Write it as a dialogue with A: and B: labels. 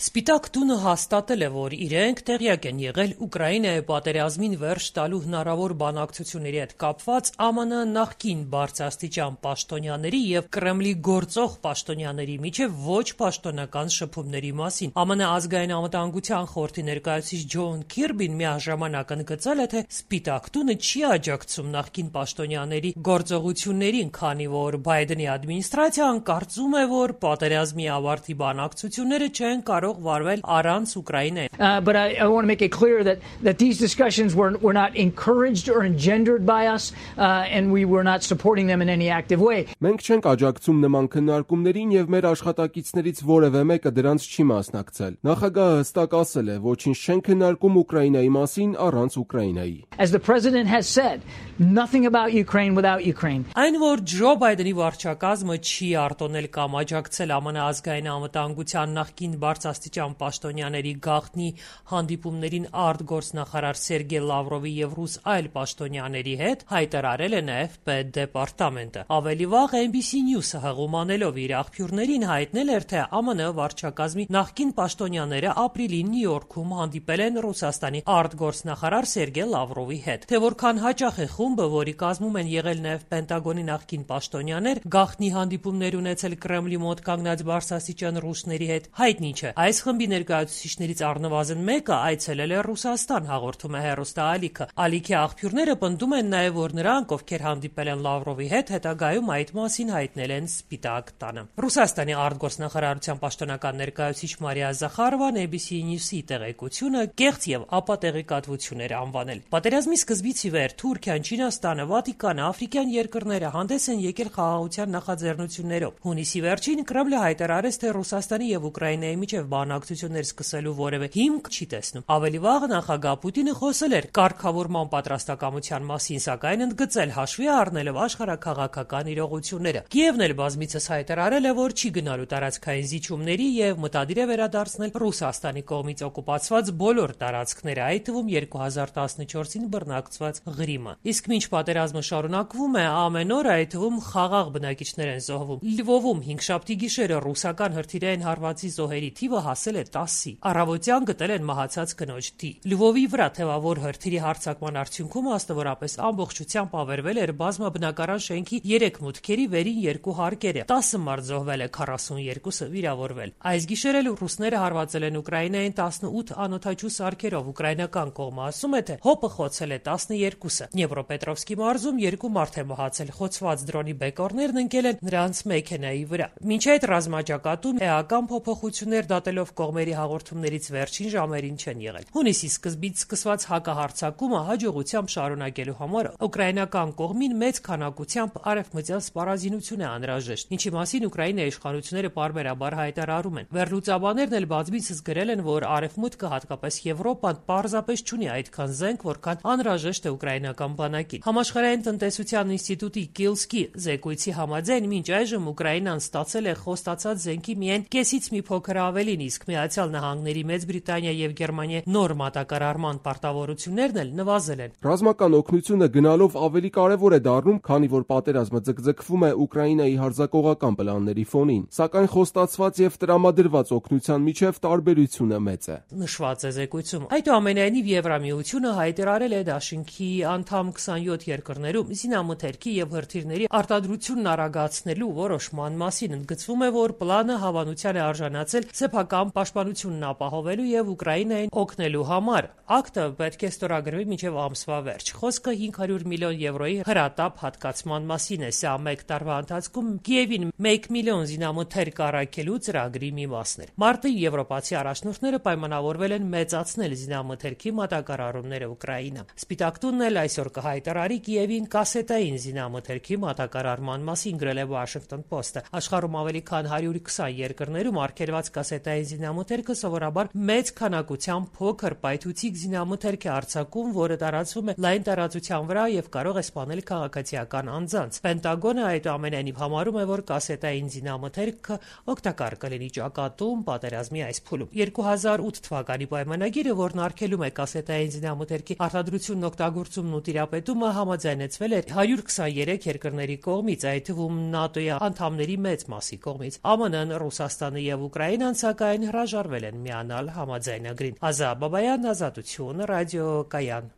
A: Սպիտակ տունը հաստատել է, որ իրենք տեղյակ են եղել Ուկրաինայի պատերազմին վերջ տալու հնարավոր բանակցությունների հետ կապված ԱՄՆ նախկին բարձրաստիճան պաշտոնյաների եւ Կրեմլի գործող պաշտոնյաների միջև ոչ պաշտոնական շփումների մասին։ ԱՄՆ ազգային անվտանգության խորհրդի ներկայացուցիչ Ջոն Քիրբին միաժամանակ ընդգծել է, թե Սպիտակ տունը չի աջակցում նախկին պաշտոնյաների գործողություններին, քանի որ Բայդենի ադմինիստրացիան կարծում է, որ պատերազմի ավարտի բանակցությունները չեն կարող վարվել առանց Ուկրաինայի։
B: But I want to make it clear that these discussions were not encouraged or engendered by us, and we were not supporting them in any active way.
C: Մենք չենք աջակցում նման քննարկումներին եւ մեր աշխատակիցներից որևէ մեկը դրանց չի մասնակցել։ Նախագահը հստակ ասել է, ոչինչ չեն քննարկում Ուկրաինայի մասին առանց Ուկրաինայի։
B: As the president has said, nothing about Ukraine without Ukraine.
A: Այն որ Ջո Բայդենի վարչակազմը չի արտոնել կամ աջակցել ԱՄՆ ազգային անվտանգության նախկին բարձրաստիճան պաշտոնյաների գաղտնի հանդիպումներին արտգործնախարար Սերգեյ Լավրովի եւ ռուս այլ պաշտոնյաների հետ, հայտարարել է նաեւ Պետդեպարտամենտը։ Ավելի վաղ NBC News-ը հղումանելով իր աղբյուրներին հայտնել էր, թե ԱՄՆ վարչակազմի նախկին պաշտոնյաները ապրիլին Նյու Յորքում հանդիպել են Ռուսաստանի արտգործնախարար Սերգեյ Լավրովի հետ։ Թե որքան հաճախ է խումբը, որի կազմում են եղել նաեւ Պենտագոնի նախկին պաշտոնյաներ, գաղտնի հանդիպումներ ունեցել Կրեմլի մոտ կանգնած բարձրաստիճան ռուսների հետ, հայտնի չէ։ Այս խմբի ներկայացուցիչներից առնվազն մեկը այցելել է Ռուսաստան, հաղորդում է հեռուստաալիքը։ Ալիքի աղբյուրները պնդում են նաև, որ նրանք, ովքեր հանդիպել են Լավրովի հետ, հետագայում այդ մասին հայտնել են Սպիտակ տանը։ Ռուսաստանի արտգործնախարարության պաշտոնական ներկայացուցիչ Մարիա Զախարովան ABC News-ի տեղեկությունը կեղծ եւ ապատեղեկատվություն էր անվանել։ Պատերազմի սկզբից ի վեր Թուրքիան, Չինաստանը, Վատիկանը, աֆրիկյան երկրները հանդես են եկել խաղաղության նախաձեռնություններով։ Հունիսի վերջին Կրեմլը հայտարարեց, թե Ռուսաստանի եւ Ուկրաինայի միջև բանակցություններ սկսելու որևէ հիմք չի տեսնում։ Ավելի վաղ նախագահ Պուտինը խոսել էր կարգավորման պատրաստակամության մասին, սակայն ընդգծել հաշվի առնելով աշխարհաքաղաքական իրողությունները։ Կիևն էլ բազմիցս հայտարարել է, որ չի գնալու տարածքային զիջումների եւ մտադիր է վերադարձնել Ռուսաստանի կողմից օկուպացված բոլոր տարածքները, այդ թվում 2014-ին բռնակցված Ղրիմը։ Իսկ մինչ պատերազմը շարունակվում է, ամեն օր այդ թվում խաղաղ բնակիչներ են զոհվում։ Լվովում հինգշաբթի գիշերը ռուսական հրթիռային հարվածի զոհերի թիվը հասել է 10-ի։ Առավոտյան գտել են մահացած կնոջ թիվ։ Լվովի վրա թևավոր հրթիռի հարձակման արդյունքում աստավորապես ամբողջությամբ ավերվել էր բազմաբնակարան շենքի 3 մուտքերի վերին 2 հարկերը։ 10 մարդ զոհվել է, 42-ը վիրավորվել։ Այս գիշեր էլ ռուսները հարվածել են Ուկրաինային 18 անօդաչու սարքերով։ Ուկրաինական կողմը ասում է, թե հոպը խոցել է 12-ը։ Դնեպրոպետրովսկի մարզում 2 մարդ է մահացել, խոցված դրոնի բեկորներն ընկել են նրանց մեքենայի վրա։ Մինչ այդ ռազմաճակատում էական փոփոխություններ դատելով կողմերի հաղորդումներից վերջին ժամերին չեն եղել։ Հունիսի սկզբից սկսված հակահարձակումը հաջողությամբ շարունակելու համար ուկրաինական կողմին մեծ քանակությամբ արևմտյան սպառազինություն է անհրաժեշտ, ինչի մասին Ուկրաինայի իշխանությունները պարբերաբար հայտարարում են։ Վերլուծաբաններն էլ բազմիցս գրել են, որ արևմուտքը, հատկապես Եվրոպան, պարզապես չունի այդքան զենք, որքան անհրաժեշտ է ուկրաինական բանակին։ Համաշխարհային տնտեսության ինստիտուտի Կիլսկի զեկույցի համաձայն մինչ այժմ Ուկրաինան ստացել է խոստացած զենքի միայն կեսից մի փոքր ավելին, իսկ Միացյալ Նահանգների, Մեծ Բրիտանիա եւ Գերմանիա նոր մատակարարման պարտավորություններն էլ նվազել են։
C: Ռազմական օգնությունը գնալով ավելի կարևոր է դառնում, քանի որ պատերազմը ձգձգվում է Ուկրաինայի հարձակողական պլանների ֆոնին, սակայն խոստացված եւ տրամադրված օգնության միջև տարբերությունը մեծ է։
A: Նշված է զեկույցում։ Այդուամենայնիվ Եվրամիությունը հայտարարել է դաշինքի անդամ 27 երկրներում զինամթերքի եւ հրթիռների արտադրությունն արագացնելու որոշման մասին։ Ընդգծվում է, որ պլանը հավանության է արժանացել սեփական պաշտպանությունն ապահովելու եւ Ուկրաինային օգնելու համար։ Ակտը պետք է ստորագրվի մինչեւ ամսվա վերջ։ Խոսքը 500 միլիոն եվրոյի հրատապ հատկացման մասին է։ Սա մեկ տարվա ընթացքում Կիևին 1 միլիոն զինամթերք առաքելու ծրագրի մի մասն էր։ Մարտին եվրոպացի առաջնորդները պայմանավորվել են մեծացնել զինամթերքի մատակարարումները Ուկրաինա։ Սպիտակ տունն էլ այսօր կհայտարարի Կիևին կասետային զինամթերքի մատակարարման մասին, գրել է Washington Post-ը։ Աշխարհում ավելի քան 120 երկրներում արգելված կասետային զինամթերքը սովորաբար մեծ քանակությամբ փոքր պայթուցիկ զինամթերք է արձակում, որը տարածվում է լայն տարածության վրա եւ կարող է սպանել քաղաքացիական անձանց։ Պենտագոնը այդուամենայնիվ համարում է, որ կասետային զինամթերքը օգտակար կլինի ճակատում պատերազմի այս փուլում։ 2008 թվականի պայմանագիրը, որն արգելում է կասետային զինամթերքի արտադրությունն, օգտագործումն ու տիրապետումը հաստատումը համաձայնեցվել է 123 երկրների կողմից, այդ թվում ՆԱՏՕ-ի անդամների մեծ մասի կողմից։ ԱՄՆ-ն, Ռուսաստանը եւ Ուկրաինան սակայն հրաժարվել են միանալ համաձայնագրին։ Ազա Բաբայան, Ազատություն, ռադիո Կայան։